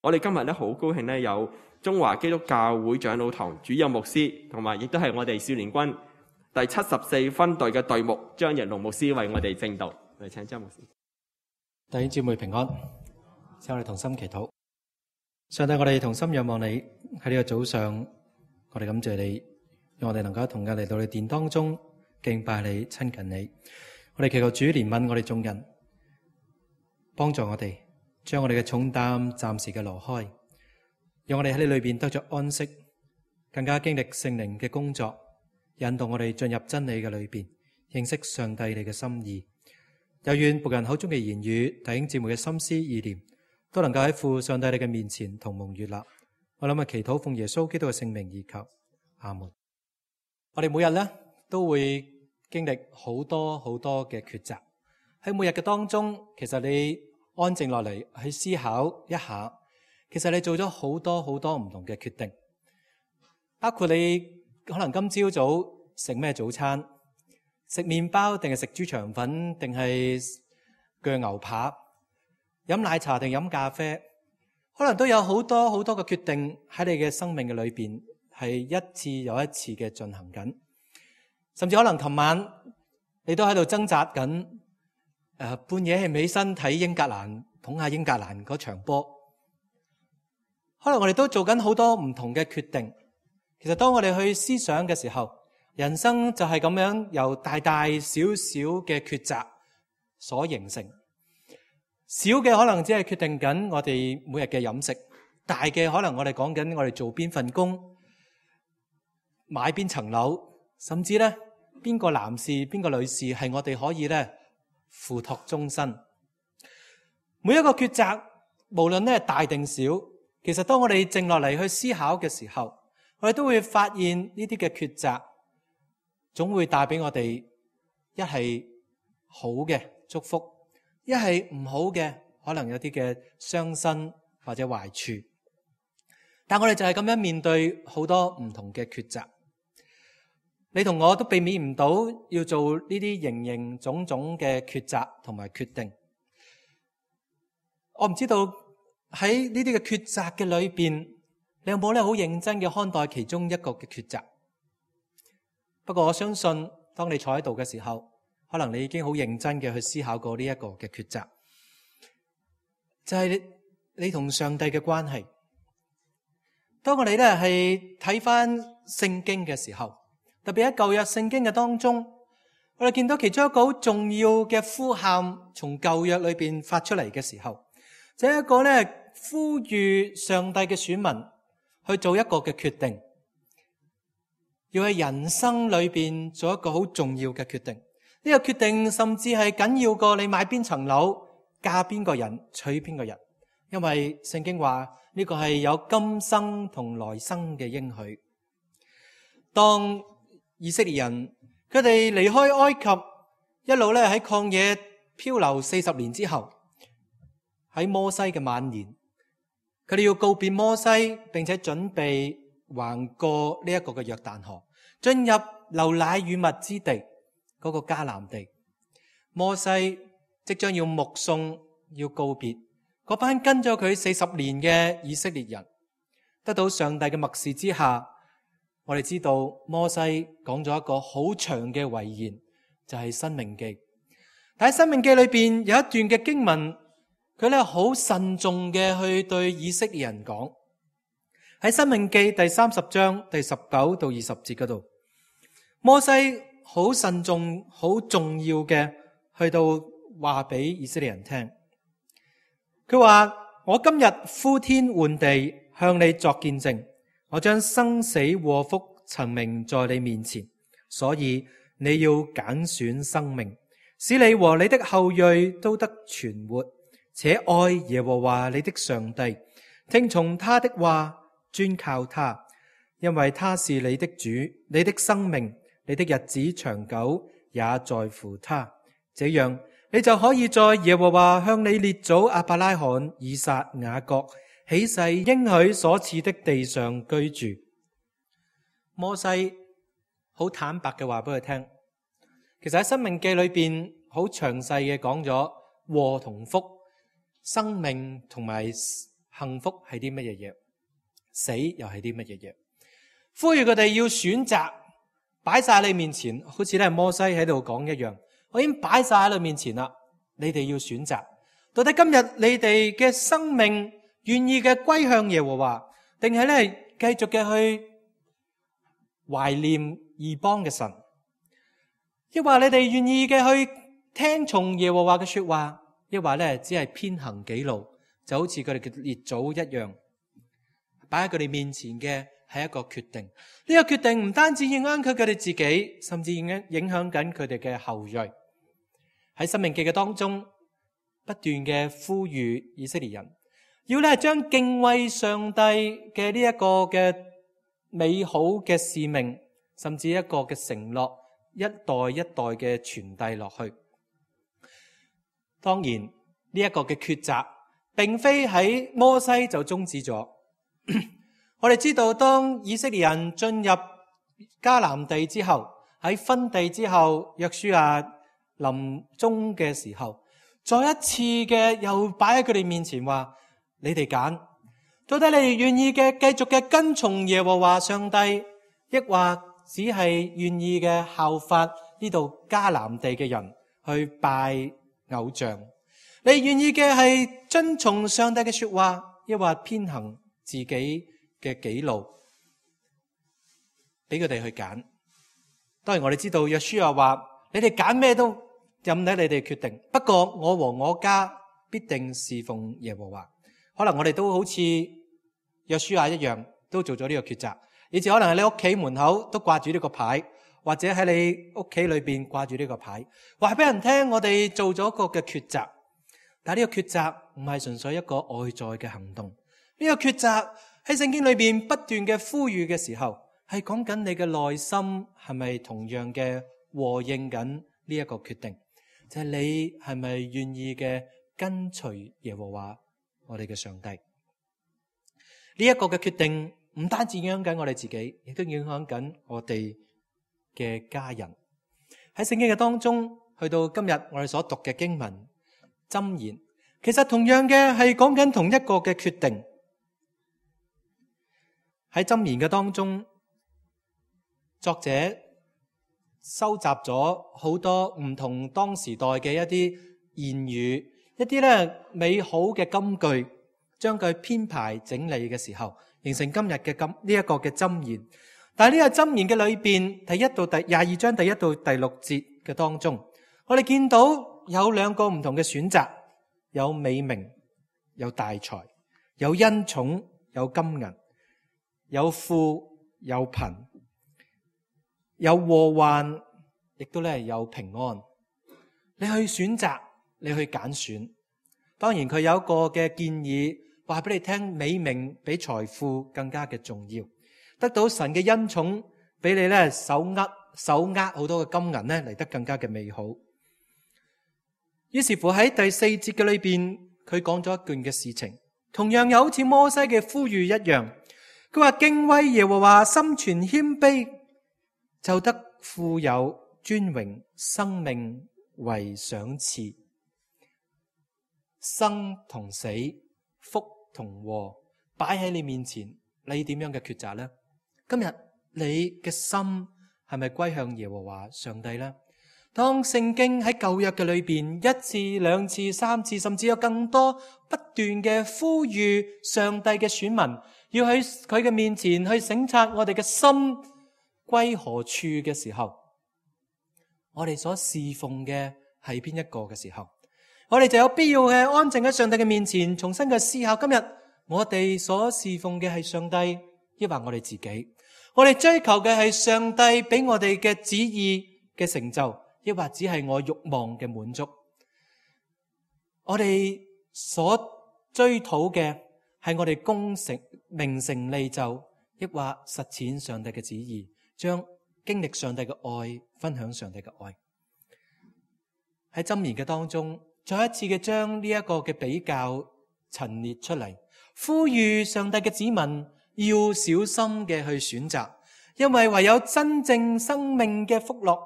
我哋今日咧好高興咧有中華基督教會長老堂主任牧師，同埋亦都係我哋少年軍第74分隊嘅隊目張日龍牧師為我哋證道。嚟請張牧師。弟兄姊妹平安，請我哋同心祈禱。上帝，我哋同心仰望你，喺呢個早上，我哋感謝你，讓我哋能夠同日嚟到你殿當中敬拜你、親近你。我哋祈求主憐憫我哋眾人，幫助我哋將我哋嘅重擔暫時嘅挪開，讓我哋喺你裏邊得着安息，更加經歷聖靈嘅工作，引導我哋進入真理嘅裏邊，認識上帝你嘅心意。又願僕人口中嘅言語、弟兄姊妹嘅心思意念，都能夠喺父上帝你嘅面前同蒙悅納。我諗祈禱奉耶穌基督嘅聖名而求，阿門。我哋每日咧都會經歷好多嘅抉擇。喺每日嘅當中，其實你安靜落嚟去思考一下，其實你做咗好多唔同嘅決定，包括你可能今朝早食咩早餐，食麵包定係食豬腸粉，定係鋸牛扒，飲奶茶定飲咖啡，可能都有好多嘅決定喺你嘅生命嘅裏邊係一次又一次嘅進行緊。甚至可能琴晚你都喺度掙扎緊，半夜起唔起身睇英格蘭捧下英格蘭嗰場波。可能我哋都做緊好多唔同嘅決定。其實當我哋去思想嘅時候，人生就係咁樣由大小嘅抉擇所形成。小嘅可能只係決定緊我哋每日嘅飲食，大嘅可能我哋講緊我哋做邊份工，買邊層樓，甚至咧邊個男士邊個女士係我哋可以咧付託終身。每一個抉擇無論咧大定小，其實當我哋靜落嚟去思考嘅時候，我哋都會發現呢啲嘅抉擇總會帶俾我哋一係好嘅祝福，一係唔好嘅可能有啲嘅傷身或者壞處。但我哋就係咁樣面對好多唔同嘅抉擇。你同我都避免唔到要做呢啲形種嘅抉擇同埋決定。我唔知道喺呢啲嘅抉擇嘅裏邊，你有冇咧好認真嘅看待其中一個嘅抉擇？不過我相信，當你坐喺度嘅時候，可能你已經好認真嘅去思考過呢一個嘅抉擇，就係你同上帝嘅關係。當我哋咧係睇翻聖經嘅時候，特別喺舊約聖經嘅當中，我哋見到其中一個好重要嘅呼喊，從舊約裏邊發出嚟嘅時候，就係一個咧呼籲上帝嘅選民去做一個嘅決定。要喺人生裏邊做一個好重要嘅決定，呢個決定甚至係緊要過你買邊層樓、嫁邊個人、娶邊個人，因為聖經話呢個係有今生同來生嘅應許。當以色列人佢哋離開埃及，一路咧喺曠野漂流40年之後，喺摩西嘅晚年，佢哋要告別摩西，並且準備橫過呢一個嘅約旦河，進入流奶與蜜之地嗰個迦南地。摩西即將要目送，要告別嗰班跟咗佢40年嘅以色列人。得到上帝嘅默示之下，我哋知道摩西講咗一個好長嘅遺言，就係申命記。但喺申命記裏邊有一段嘅經文，佢咧好慎重嘅去對以色列人講。喺申命記第30章第19到20節嗰度，摩西好慎重、好重要嘅去到話俾以色列人聽。佢話：我今日呼天喚地向你作見證，我將生死禍福陳明在你面前，所以你要揀選生命，使你和你的後裔都得存活，且愛耶和華你的上帝，聽從他的話，專靠他，因為他是你的主，你的生命，你的日子長久也在乎他。這樣你就可以在耶和華向你列祖亞伯拉罕、以撒、雅各起誓應許所賜的地上居住。摩西好坦白嘅話俾佢聽，其實喺申命記裏邊好詳細嘅講咗禍同福、生命同埋幸福係啲乜嘢嘢，死又係啲乜嘢嘢。呼籲佢哋要選擇，擺晒喺你面前，好似咧摩西喺度講一樣，我已經擺晒喺你面前啦，你哋要選擇，到底今日你哋嘅生命願意嘅歸向耶和華，定係咧繼續嘅去懷念異邦嘅神，抑或你哋願意嘅去聽從耶和華嘅說話，抑或咧只係偏行己路，就好似佢哋嘅列祖一樣，擺喺佢哋面前嘅係一個決定。呢個決定唔單止影響佢哋自己，甚至影響緊佢哋嘅後裔。喺申命記嘅當中，不斷嘅呼籲以色列人，要咧將敬畏上帝嘅呢一個嘅美好嘅使命，甚至一個嘅承諾，一代一代嘅傳遞落去。當然呢一個嘅抉擇，並非喺摩西就終止咗。我哋知道，當以色列人進入迦南地之後，喺分地之後，約書亞臨終嘅時候，再一次嘅又擺喺佢哋面前話：你哋揀，到底你哋願意嘅繼續嘅跟從耶和華上帝，抑或只係願意嘅效法呢度迦南地嘅人去拜偶像？你願意嘅係遵從上帝嘅說話，抑或偏行自己嘅己路？俾佢哋去揀。當然我哋知道約書亞話：你哋揀咩都任你哋決定，不過我和我家必定侍奉耶和華。可能我哋都好似約書亞一樣，都做咗呢個抉擇，以至可能喺你屋企門口都掛住呢個牌，或者喺你屋企裏邊掛住呢個牌，話俾人聽我哋做咗個嘅抉擇。但係呢個抉擇唔係純粹一個外在嘅行動，呢個抉擇喺聖經裏邊不斷嘅呼籲嘅時候，係講緊你嘅內心係咪同樣嘅和應緊呢一個決定，就係你係咪願意嘅跟隨耶和華我哋嘅上帝。呢一個嘅決定唔單止影響緊我哋自己，亦都影響緊我哋嘅家人。喺聖經嘅當中，去到今日我哋所讀嘅經文箴言，其實同樣嘅係講緊同一個嘅決定。喺箴言嘅當中，作者收集咗好多唔同當時代嘅一啲言語，一啲咧美好嘅金句，將佢編排整理嘅時候，形成今日嘅呢一個嘅箴言。但係呢個箴言嘅裏邊，第1到第22章第1到第6節嘅當中，我哋見到有兩個唔同嘅選擇，有美名，有大財，有恩寵，有金銀，有富，有貧，有禍患，亦都咧有平安。你去選擇，你去揀選。當然佢有一個嘅建議，話俾你聽，美名比財富更加嘅重要，得到神嘅恩寵，俾你咧手握好多嘅金銀咧嚟得更加嘅美好。於是乎喺第4節嘅裏邊，佢講咗一段嘅事情，同樣又好似摩西嘅呼籲一樣。佢話敬畏耶和華，心存謙卑，就得富有尊榮，生命為賞賜。生同死，福同禍，擺喺你面前，你點樣嘅抉擇呢？今日你嘅心係咪歸向耶和華上帝呢？當聖經喺舊約嘅裏邊1次、2次、3次，甚至有更多不斷嘅呼籲上帝嘅選民，要喺佢嘅面前去省察我哋嘅心歸何處嘅時候，我哋所侍奉嘅係邊一個嘅時候，我哋就有必要嘅安靜喺上帝嘅面前，重新嘅思考今日我哋所侍奉嘅係上帝，抑或我哋自己？我哋追求嘅係上帝俾我哋嘅旨意嘅成就，抑或只係我慾望嘅滿足？我哋所追討嘅係我哋功成名成利就，抑或實踐上帝嘅旨意，將經歷上帝嘅愛，分享上帝嘅愛。喺箴言嘅當中，再一次嘅將呢一個嘅比較陳列出嚟，呼籲上帝嘅子民要小心嘅去選擇，因為唯有真正生命嘅福樂，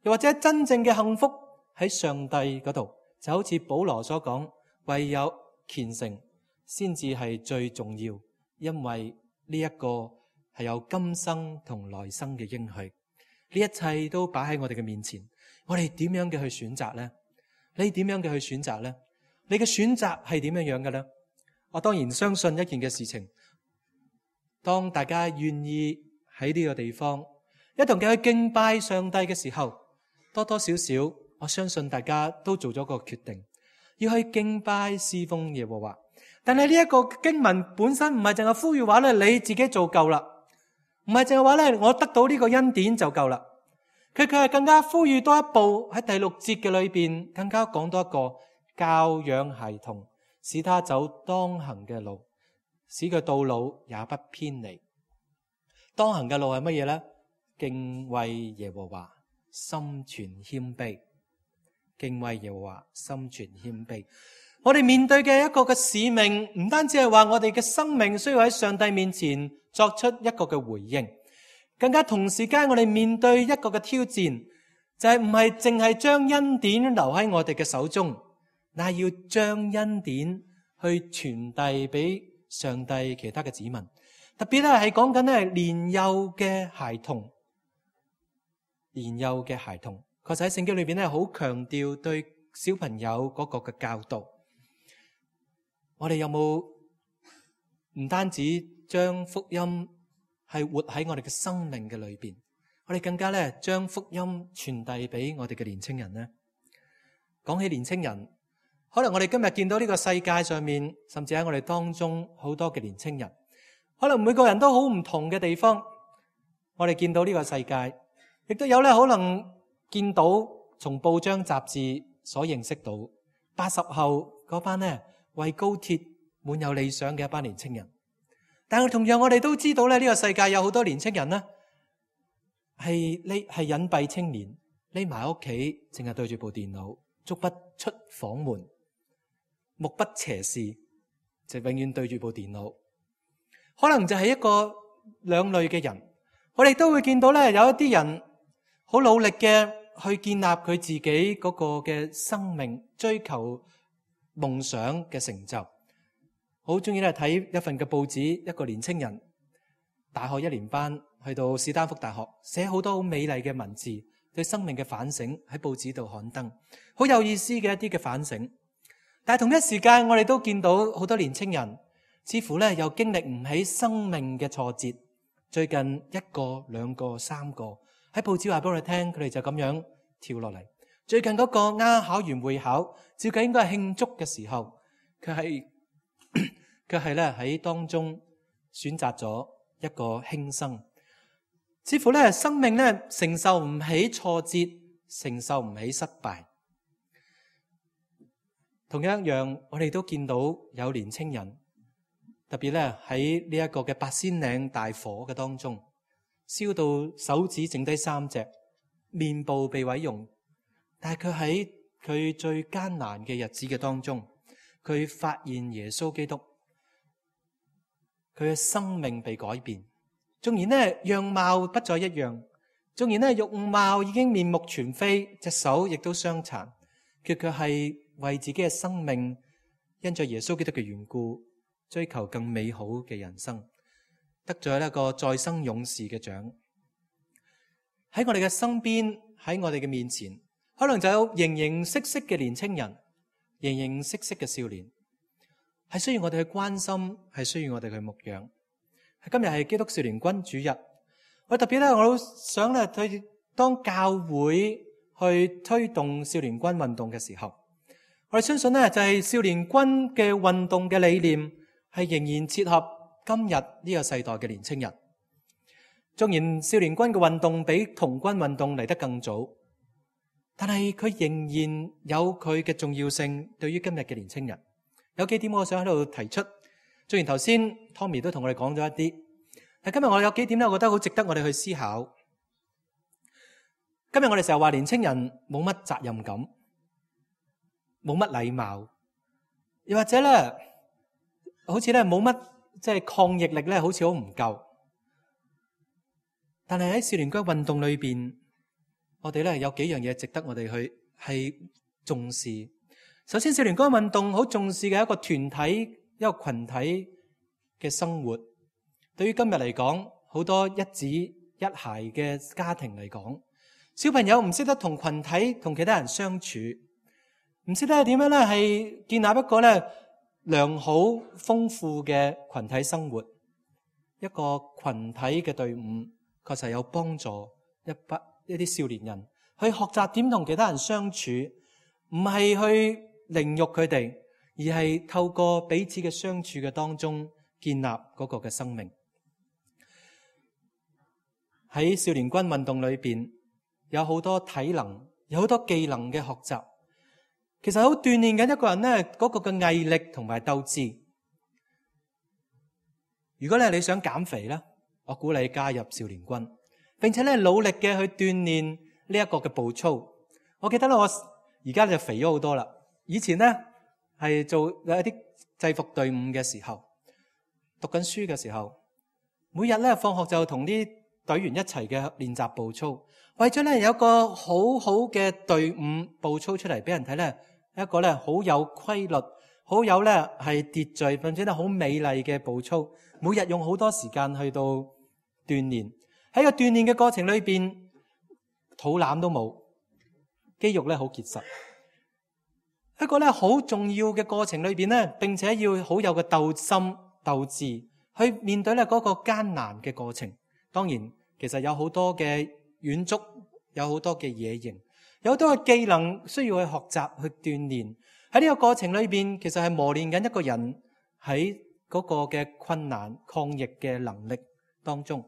又或者真正嘅幸福喺上帝嗰度，就好似保羅所講，唯有虔誠、先至係最重要，因為呢一個係有今生同來生嘅應許。呢一切都擺喺我哋嘅面前，我哋點樣嘅去選擇呢？你點樣嘅去選擇呢？你嘅選擇係點樣樣嘅呢？我當然相信一件嘅事情，當大家願意喺呢個地方一同嘅去敬拜上帝嘅時候，多多少少我相信大家都做咗個決定，要去敬拜侍奉耶和華。但係呢一個經文本身唔係淨係呼籲話咧，你自己做夠啦，唔係淨係話咧，我得到呢個恩典就夠啦。佢係更加呼籲多一步，喺第6節嘅裏邊，更加講多一個教養孩童，使他走當行嘅路，使佢到老也不偏離。當行嘅路係乜嘢呢？敬畏耶和華，心存謙卑。敬畏耶和華，心存謙卑。我哋面對嘅一個嘅使命，唔單止係話我哋嘅生命需要喺上帝面前作出一個嘅回應，更加同時間我哋面對一個嘅挑戰，就係唔係淨係將恩典留喺我哋嘅手中，乃係要將恩典去傳遞俾上帝其他嘅子民。特別咧係講緊咧年幼嘅孩童，年幼嘅孩童，確實喺聖經裏邊咧好強調對小朋友嗰個嘅教導。我哋有冇唔單止將福音係活喺我哋嘅生命嘅裏邊，我哋更加咧將福音傳遞俾我哋嘅年青人呢？講起年青人，可能我哋今日見到呢個世界上面，甚至喺我哋當中好多嘅年青人，可能每個人都好唔同嘅地方。我哋見到呢個世界，亦都有咧可能見到從報章雜誌所認識到80後嗰班呢為高鐵滿有理想嘅一班年青人。但係同樣我哋都知道咧，呢個世界有好多年青人呢係隱蔽青年，匿埋喺屋企，淨係對住部電腦，足不出房門，目不斜視，就永遠對住部電腦。可能就係一個兩類嘅人。我哋都會見到咧，有一啲人好努力嘅去建立佢自己嗰個嘅生命，追求夢想嘅成就。好中意咧睇一份嘅報紙，一個年青人大學1年班去到史丹福大學，寫好多好美麗嘅文字，對生命嘅反省喺報紙度刊登，好有意思嘅一啲嘅反省。但係同一時間，我哋都見到好多年青人似乎咧又經歷唔起生命嘅挫折。最近1個、2個、3個喺報紙話俾我哋聽，佢哋就咁樣跳落嚟。最近嗰個啱考完會考，照計應該係慶祝嘅時候，佢係咧喺當中選擇咗一個輕生。似乎咧生命咧承受唔起挫折，承受唔起失敗。同樣一樣，我哋都見到有年青人，特別咧喺呢一個嘅八仙嶺大火嘅當中，燒到手指剩低3隻，面部被毀容。但係佢喺佢最艱難嘅日子嘅當中，佢發現耶穌基督，佢嘅生命被改變。縱然呢樣貌不再一樣，縱然呢容貌已經面目全非，隻手亦都傷殘，佢卻係為自己嘅生命，因着耶穌基督嘅緣故，追求更美好嘅人生，得咗一個再生勇士嘅獎。喺我哋嘅身邊，喺我哋嘅面前，可能就有形形色色嘅年青人，形形色色嘅少年，係需要我哋去關心，係需要我哋去牧養。今日係基督少年軍主日，我特別咧，我都想咧去當教會去推動少年軍運動嘅時候，我哋相信咧就係少年軍嘅運動嘅理念係仍然切合今日呢個世代嘅年青人。縱然少年軍嘅運動比童軍運動嚟得更早，但係佢仍然有佢嘅重要性。對於今日嘅年青人，有幾點我想喺度提出。雖然頭先 Tommy 都同我哋講咗一啲，但今日我有幾點咧，我覺得好值得我哋去思考。今日我哋成日話年青人冇乜責任感，冇乜禮貌，又或者咧，好似咧冇乜即係抗逆力咧，好似好唔夠。但係喺少年軍運動裏邊，我哋咧有幾樣嘢值得我哋去係重視。首先，少年軍運動好重視嘅一個團體一個群體嘅生活。對於今日嚟講，好多一子一孩嘅家庭嚟講，小朋友唔識得同群體同其他人相處，唔識得點樣咧係建立一個咧良好豐富嘅群體生活。一個群體嘅隊伍確實有幫助一啲少年人去學習點同其他人相處，唔係去凌辱佢哋，而係透過彼此嘅相處嘅當中建立嗰個嘅生命。喺少年軍運動裏邊，有好多體能，有好多技能嘅學習，其實好鍛煉緊一個人咧嗰個嘅毅力同埋鬥志。如果你想減肥咧，我鼓勵你加入少年軍，並且咧努力嘅去鍛煉呢一個嘅步操。我記得咧，我而家就肥咗好多啦。以前咧係做有一啲制服隊伍嘅時候，讀緊書嘅時候，每日咧放學就同啲隊員一齊嘅練習步操，為咗咧有一個好好嘅隊伍步操出嚟俾人睇咧，一個咧好有規律、好有咧係秩序，並且咧好美麗嘅步操。每日用好多時間去到鍛煉，喺個鍛煉嘅過程裏邊，肚腩都冇，肌肉咧好結實。一個咧好重要嘅過程裏邊咧，並且要好有個鬥心鬥志去面對咧嗰個艱難嘅過程。當然，其實有好多嘅遠足，有好多嘅野營，有好多嘅技能需要去學習去鍛煉。喺呢個過程裏邊，其實係磨練緊一個人喺嗰個嘅困難抗逆嘅能力當中。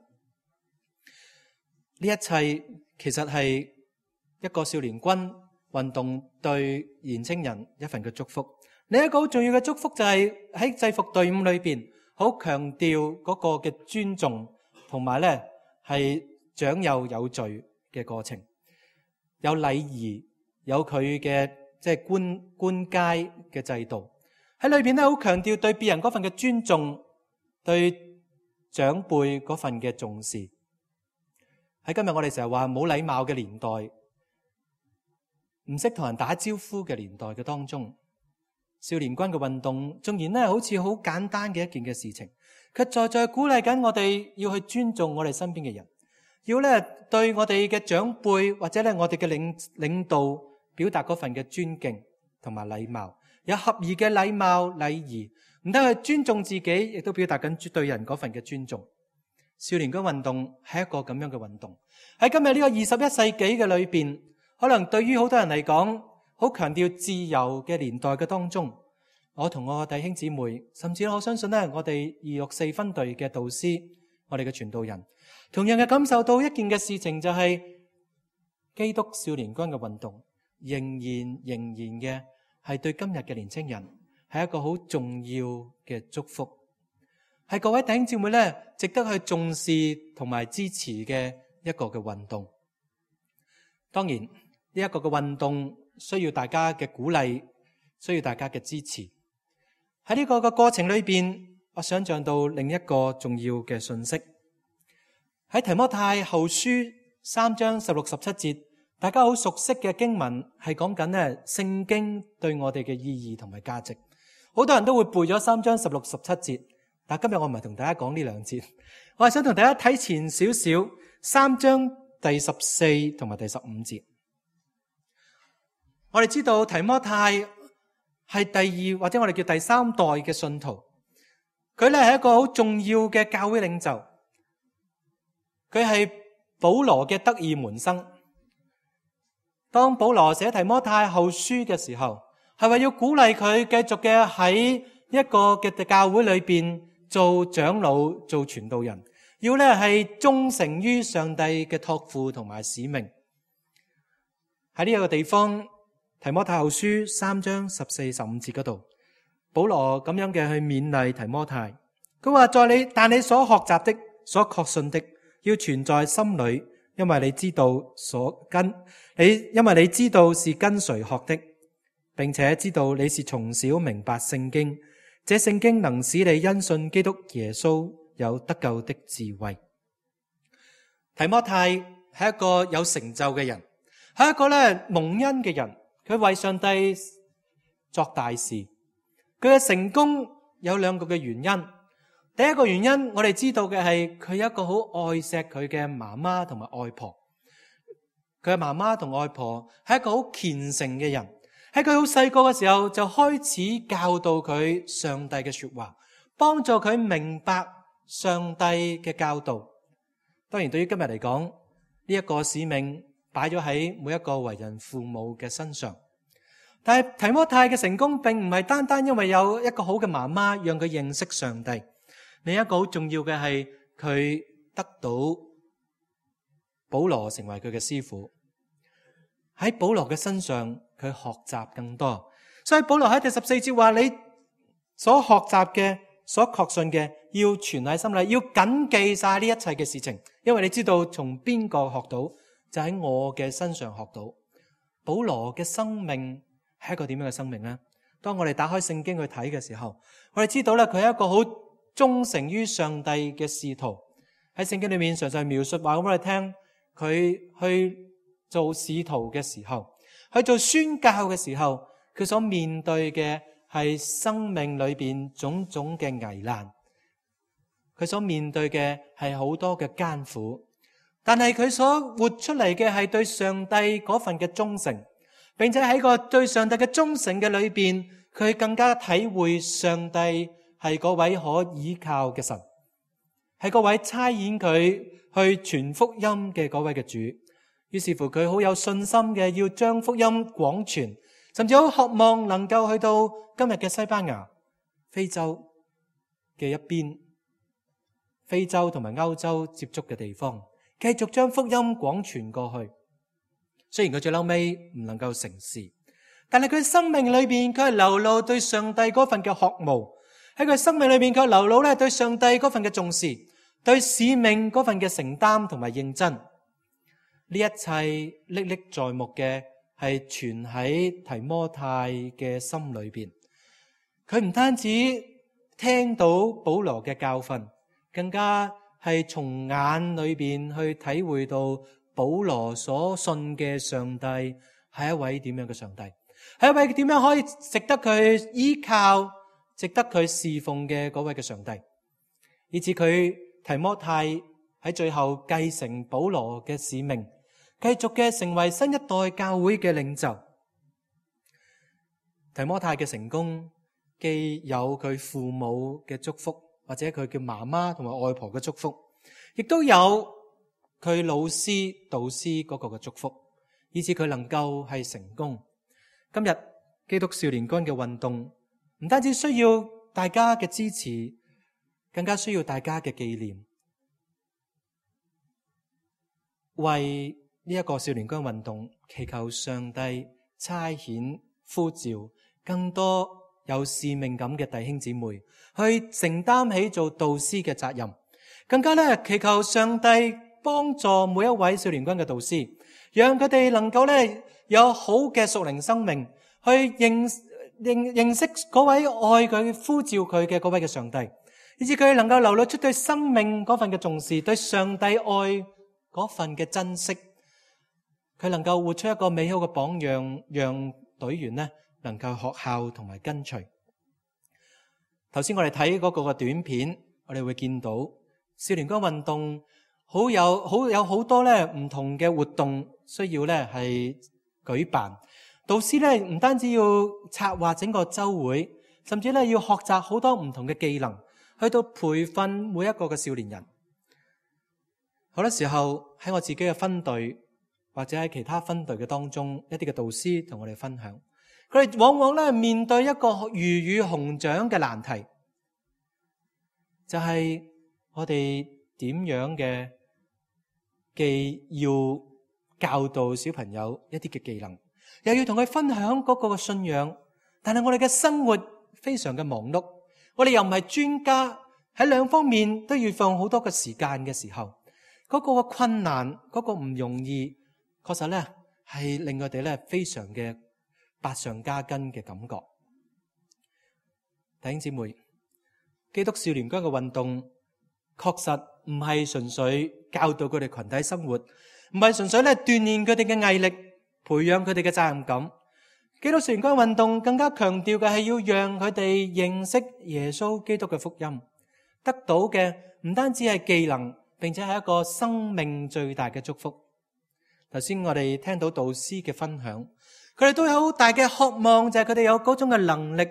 呢一切其實係一個少年軍運動對年青人一份嘅祝福。另一個好重要嘅祝福就係喺制服隊伍裏邊，好強調嗰個嘅尊重，同埋咧係長幼有序嘅過程，有禮儀，有佢嘅即係官階嘅制度喺裏邊咧，好強調對別人嗰份嘅尊重，對長輩嗰份嘅重視。喺今日我哋成日話冇禮貌嘅年代，唔識同人打招呼嘅年代嘅當中，少年軍嘅運動縱然咧好似好簡單嘅一件嘅事情，佢在鼓勵緊我哋要去尊重我哋身邊嘅人，要咧對我哋嘅長輩或者咧我哋嘅領導表達嗰份嘅尊敬同埋禮貌，有合宜嘅禮貌禮儀，唔得去尊重自己，亦都表達緊對人嗰份嘅尊重。少年軍運動係一個咁樣嘅運動，喺今日呢個21世紀嘅裏邊，可能對於好多人嚟講，好強調自由嘅年代嘅當中，我同我弟兄姊妹，甚至我相信咧，我哋264分隊嘅導師，我哋嘅傳道人，同樣嘅感受到一件嘅事情，就係基督少年軍嘅運動，仍然嘅係對今日嘅年青人係一個好重要嘅祝福。係各位弟兄姊妹咧，值得去重視同埋支持嘅一個嘅運動。當然，呢一個嘅運動需要大家嘅鼓勵，需要大家嘅支持。喺呢個嘅過程裏邊，我想象到另一個重要嘅信息。喺提摩太後書3章16、17節，大家好熟悉嘅經文係講緊咧聖經對我哋嘅意義同埋價值。好多人都會背咗3章16、17節。但今日我唔係同大家講呢兩節，我係想同大家睇前少少3章第14同埋第15節。我哋知道提摩太係第二或者我哋叫第三代嘅信徒，佢咧係一個好重要嘅教會領袖，佢係保羅嘅得意門生。當保羅寫提摩太後書嘅時候，係為要鼓勵佢繼續嘅喺一個嘅教會裏邊做長老、做傳道人，要咧係忠誠於上帝嘅託付同埋使命。喺呢一個地方，提摩太後書3章14、15節嗰度，保羅咁樣嘅去勉勵提摩太，佢話但你所學習的、所確信的，要存在心裏，因為你知道是跟誰學的，並且知道你是從小明白聖經。這聖經能使你因信基督耶穌有得救的智慧。提摩太係一個有成就嘅人，係一個咧蒙恩嘅人，佢為上帝作大事，佢嘅成功有兩個嘅原因。第一個原因，我哋知道嘅係佢有一個好愛錫佢嘅媽媽同埋外婆。佢嘅媽媽同外婆係一個好虔誠嘅人，喺佢好細個嘅時候就開始教導佢上帝嘅說話，幫助佢明白上帝嘅教導。當然，對於今日嚟講，呢一個使命擺咗喺每一個為人父母嘅身上。但係提摩太嘅成功並唔係單單因為有一個好嘅媽媽讓佢認識上帝，另一個好重要嘅係佢得到保羅成為佢嘅師傅。喺保羅嘅身上，佢學習更多。所以保羅喺第14節話：你所學習嘅、所確信嘅，要存喺心裏，要謹記晒呢一切嘅事情。因為你知道從邊個學到，就喺我嘅身上學到。保羅嘅生命係一個點樣嘅生命呢？當我哋打開聖經去睇嘅時候，我哋知道咧，佢係一個好忠誠於上帝嘅使徒。喺聖經裏面常常描述話，我哋聽佢去做使徒嘅時候，去做宣教嘅時候，佢所面對嘅係生命裏邊種種嘅危難，佢所面對嘅係好多嘅艱苦，但係佢所活出嚟嘅係對上帝嗰份嘅忠誠，並且喺個對上帝嘅忠誠嘅裏邊，佢更加體會上帝係嗰位可倚靠嘅神，係嗰位差遣佢去傳福音嘅嗰位嘅主。於是乎佢好有信心嘅要將福音廣傳，甚至好渴望能夠去到今日嘅西班牙、非洲嘅一邊，非洲同埋歐洲接觸嘅地方，繼續將福音廣傳過去。雖然佢最後尾唔能夠成事，但係佢生命裏邊佢係流露對上帝嗰份嘅渴慕，喺佢生命裏邊佢流露咧對上帝嗰份嘅重視，對使命嗰份嘅承擔同埋認真。呢一切歷歷在目嘅係存喺提摩太嘅心裏邊。佢唔單止聽到保羅嘅教訓，更加係從眼裏邊去體會到保羅所信嘅上帝係一位點樣嘅上帝，係一位點樣可以值得佢依靠、值得佢侍奉嘅嗰位嘅上帝，以至佢提摩太喺最後繼承保羅嘅使命，繼續嘅成為新一代教會嘅領袖。提摩太嘅成功既有佢父母嘅祝福，或者佢嘅媽媽同埋外婆嘅祝福，亦都有佢老師導師嗰個嘅祝福，以至佢能夠係成功。今日基督少年軍嘅運動唔單止需要大家嘅支持，更加需要大家嘅紀念，為呢一個少年軍運動祈求上帝差遣呼召更多有使命感嘅弟兄姊妹去承擔起做導師嘅責任，更加咧祈求上帝幫助每一位少年軍嘅導師，讓佢哋能夠咧有好嘅屬靈生命，去認識嗰位愛佢呼召佢嘅嗰位嘅上帝，以至佢能夠流露出對生命嗰份嘅重視，對上帝愛嗰份嘅珍惜。佢能夠活出一個美好嘅榜樣，讓隊員呢能夠學效同埋跟隨。頭先我哋睇嗰個嘅短片，我哋會見到少年軍運動有好多咧唔同嘅活動需要咧係舉辦。導師咧唔單止要策劃整個週會，甚至咧要學習好多唔同嘅技能，去到培訓每一個嘅少年人。好多時候喺我自己嘅分隊，或者喺其他分隊嘅當中，一啲嘅導師同我哋分享，佢哋往往咧面對一個魚與熊掌嘅難題，就係我哋點樣嘅既要教導小朋友一啲嘅技能，又要同佢分享嗰個嘅信仰，但係我哋嘅生活非常嘅忙碌，我哋又唔係專家，喺兩方面都要放好多嘅時間嘅時候，嗰個嘅困難，嗰個唔容易，確實咧係令我哋咧非常嘅百上加斤嘅感覺。弟兄姊妹，基督少年軍嘅運動確實唔係純粹教導佢哋群體生活，唔係純粹咧鍛煉佢哋嘅毅力，培養佢哋嘅責任感。基督少年軍運動更加強調嘅係要讓佢哋認識耶穌基督嘅福音，得到嘅唔單止係技能，並且係一個生命最大嘅祝福。頭先我哋聽到導師嘅分享，佢哋都有好大嘅渴望，就係佢哋有嗰種嘅能力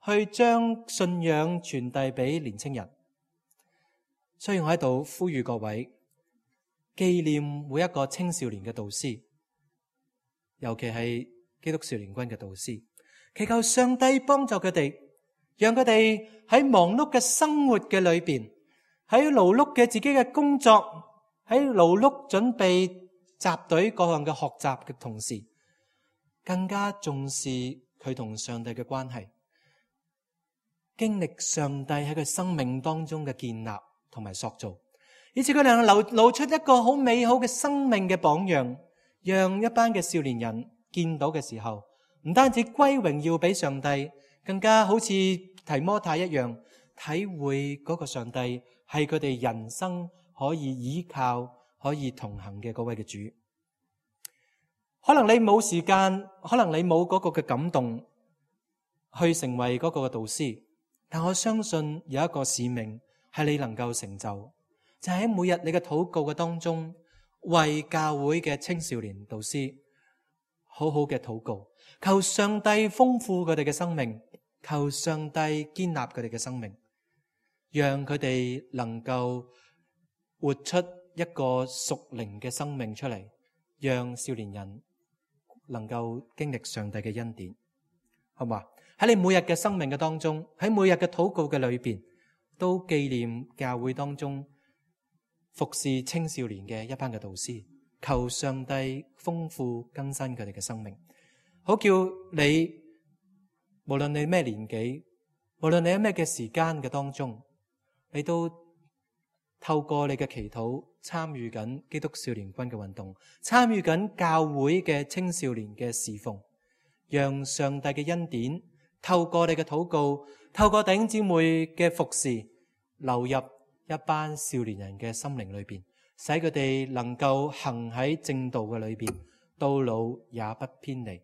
去將信仰傳遞俾年青人。所以我喺度呼籲各位紀念每一個青少年嘅導師，尤其係基督少年軍嘅導師，祈求上帝幫助佢哋，讓佢哋喺忙碌嘅生活嘅裏邊，喺勞碌嘅自己嘅工作，喺勞碌準備集隊各項嘅學習嘅同時，更加重視佢同上帝嘅關係，經歷上帝喺佢生命當中嘅建立同埋塑造，以致佢哋能露出一個好美好嘅生命嘅榜樣，讓一班嘅少年人見到嘅時候，唔單止歸榮耀俾上帝，更加好似提摩太一樣，體會嗰個上帝係佢哋人生可以依靠、可以同行嘅嗰位嘅主。可能你冇時間，可能你冇嗰個嘅感動去成為嗰個嘅導師，但我相信有一個使命係你能夠成就，就係喺每日你嘅禱告嘅當中，為教會嘅青少年導師好好嘅禱告，求上帝豐富佢哋嘅生命，求上帝建立佢哋嘅生命，讓佢哋能夠活出一個屬靈嘅生命出嚟，讓少年人能夠經歷上帝嘅恩典，好嘛？喺你每日嘅生命嘅當中，喺每日嘅禱告嘅裏邊，都紀念教會當中服侍青少年嘅一班嘅導師，求上帝豐富更新佢哋嘅生命，好叫你無論你咩年紀，無論你喺咩嘅時間嘅當中，你都透過你嘅祈禱參與緊基督少年軍嘅運動，參與緊教會嘅青少年嘅侍奉，讓上帝嘅恩典透過你嘅禱告，透過弟兄姊妹嘅服侍，流入一班少年人嘅心靈裏邊，使佢哋能夠行喺正道嘅裏邊，到老也不偏離。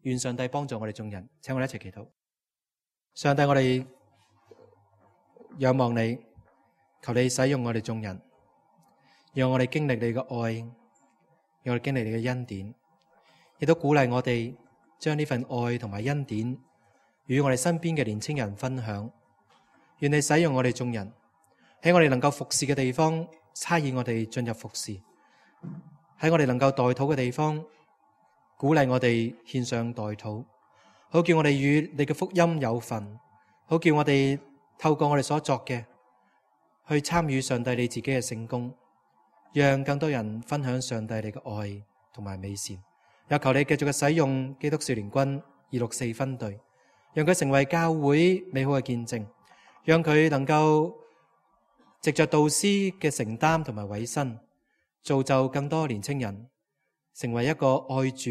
願上帝幫助我哋眾人，請我哋一齊祈禱。上帝，我哋仰望你，求你使用我哋眾人，讓我哋經歷你嘅愛，讓我哋經歷你嘅恩典，亦都鼓勵我哋將呢份愛同埋恩典與我哋身邊嘅年青人分享。願你使用我哋眾人，喺我哋能夠服侍嘅地方差異我哋進入服侍，喺我哋能夠代禱嘅地方鼓勵我哋獻上代禱，好叫我哋與你嘅福音有份，好叫我哋透過我哋所作嘅去參與上帝你自己嘅聖工，讓更多人分享上帝你嘅愛同埋美善。又求你繼續嘅使用基督少年軍264分隊，讓佢成為教會美好嘅見證，讓佢能夠藉着導師嘅承擔同埋委身，造就更多年青人成為一個愛主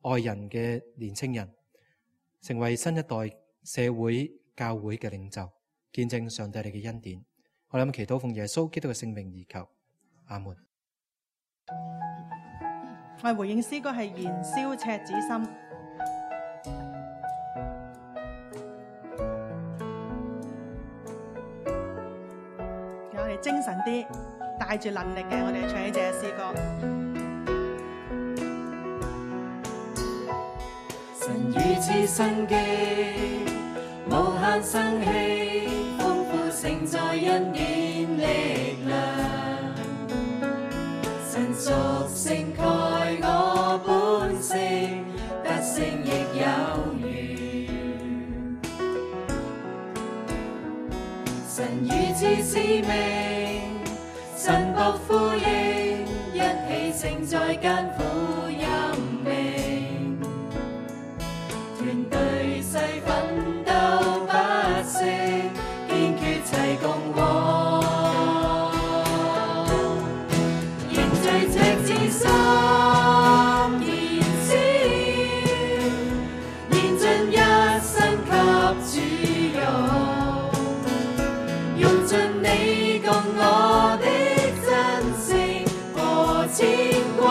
愛人嘅年青人，成為新一代社會教會嘅領袖，見證上帝你嘅恩典。我哋祈禱奉耶穌基督嘅聖名而求，阿門。我哋回應詩歌係燃燒赤子心。我哋精神啲，帶住能力嘅，我哋唱呢隻詩歌。神如此生機，無限生氣，豐富盛載恩典力量。神屬性蓋我本性，得勝亦有餘。神如此使命，神僕呼應，一起承載艱苦任命。團隊誓奮鬥不息，堅決齊共往。凝聚赤子心，燃燒，燃盡一生給主用，用盡你共我的真誠和牽掛。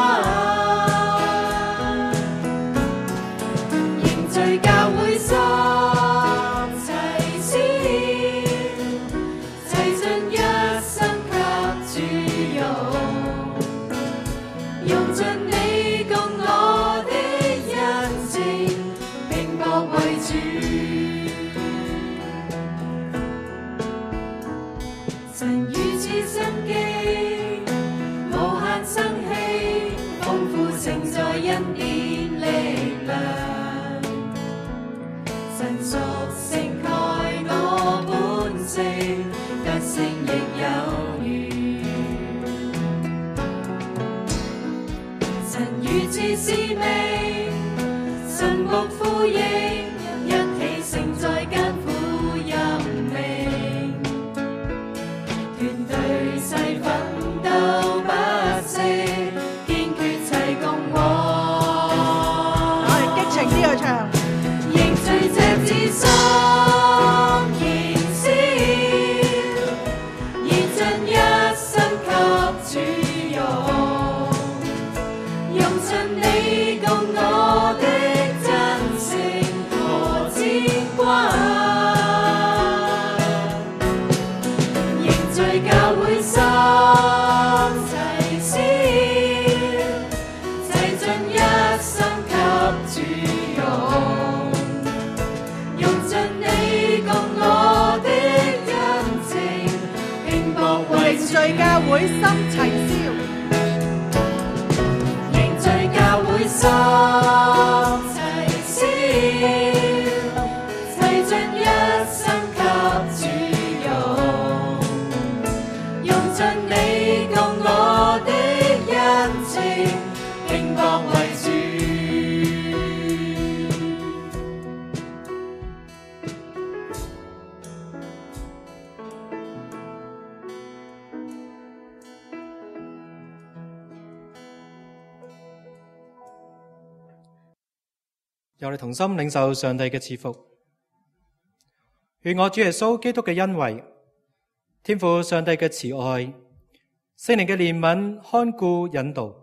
神如此生機，無限生氣，豐富盛載恩典力量。神屬性蓋我本性，得勝亦有餘。神如此使命，神目呼應，一起承載艱苦任命。團隊誓奮鬥不息，堅決齊共往。我哋激情啲去唱。凝聚這至心燃燒，燃盡一生給主用，用盡你共我的真誠和牽掛，凝聚教會心齊燒，齊盡一生給主用。用盡你共我的恩情，拼搏為凝聚教會心齊燒，凝聚教會心齊燒，齊盡一生給主用，用盡你共我的恩情，拼搏為主。由我哋同心領受上帝嘅賜福，願我主耶穌基督嘅恩惠、天父上帝嘅慈愛、聖靈嘅憐憫、看顧、引導，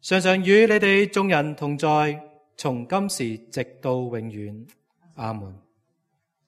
常常與你哋眾人同在，從今時直到永遠。阿門。